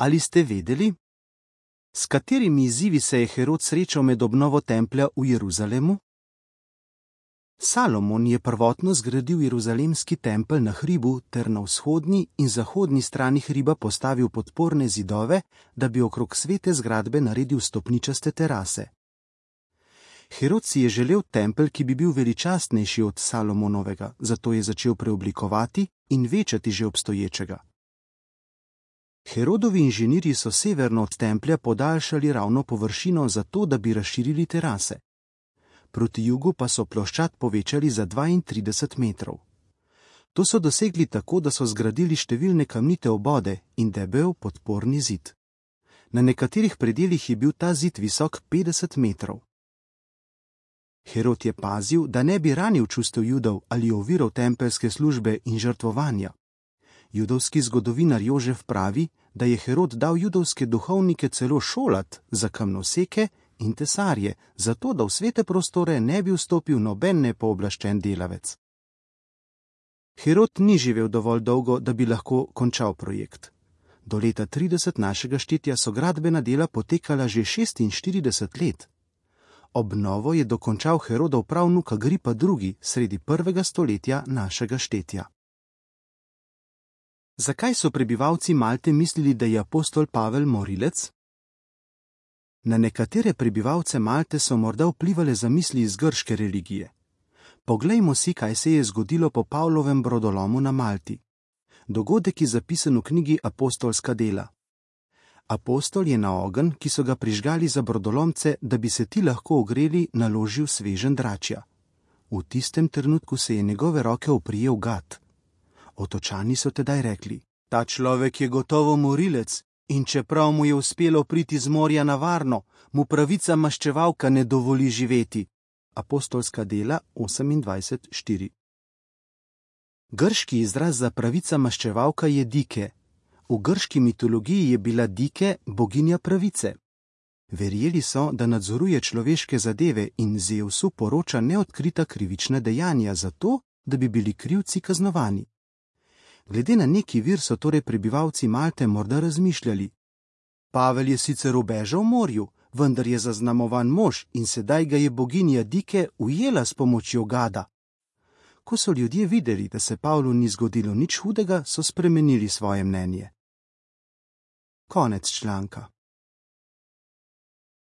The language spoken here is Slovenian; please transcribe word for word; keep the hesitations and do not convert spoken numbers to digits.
Ali ste vedeli, s katerimi izzivi se je Herod srečal med obnovo templja v Jeruzalemu? Salomon je prvotno zgradil jeruzalemski tempelj na hribu ter na vzhodni in zahodni strani hriba postavil podporne zidove, da bi okrog svete zgradbe naredil stopničaste terase. Herod si je želel tempelj, ki bi bil veličastnejši od Salomonovega, zato je začel preoblikovati in večati že obstoječega. Herodovi inženirji so severno od templja podaljšali ravno površino zato, da bi razširili terase. Proti jugu pa so ploščad povečali za dvaintrideset metrov. To so dosegli tako, da so zgradili številne kamnite obode in debel podporni zid. Na nekaterih predelih je bil ta zid visok petdeset metrov. Herod je pazil, da ne bi ranil čustev Judov ali oviral tempeljske službe in žrtvovanja. Judovski zgodovinar Jožef pravi, da je Herod dal judovske duhovnike celo šolat za kamnoseke in tesarje, zato da v svete prostore ne bi vstopil noben nepooblaščen delavec. Herod ni živel dovolj dolgo, da bi lahko končal projekt. Do leta trideset našega štetja so gradbena dela potekala že šestinštirideset let. Obnovo je dokončal Herodov pravnuk Agripa drugi sredi prvega stoletja našega štetja. Zakaj so prebivalci Malte mislili, da je apostol Pavel morilec? Na nekatere prebivalce Malte so morda vplivale zamisli iz grške religije. Poglejmo si, kaj se je zgodilo po Pavlovem brodolomu na Malti. Dogodek je zapisan v knjigi Apostolska dela. Apostol je na ogenj, ki so ga prižgali za brodolomce, da bi se ti lahko ogreli, naložil sveženj dračja. V tistem trenutku se je njegove roke oprijel gad. Otočani so tedaj rekli: ta človek je gotovo morilec in čeprav mu je uspelo priti z morja na varno, mu pravica maščevalka ne dovoli živeti. Apostolska dela osemindvajset štiri. Grški izraz za pravica maščevalka je Dike. V grški mitologiji je bila Dike boginja pravice. Verjeli so, da nadzoruje človeške zadeve in Zevsu poroča neodkrita krivična dejanja zato, da bi bili krivci kaznovani. Glede na neki vir so torej prebivalci Malte morda razmišljali: Pavel je sicer ubežal v morju, vendar je zaznamovan mož in sedaj ga je boginja Dike ujela s pomočjo gada. Ko so ljudje videli, da se Pavlu ni zgodilo nič hudega, so spremenili svoje mnenje. Konec članka.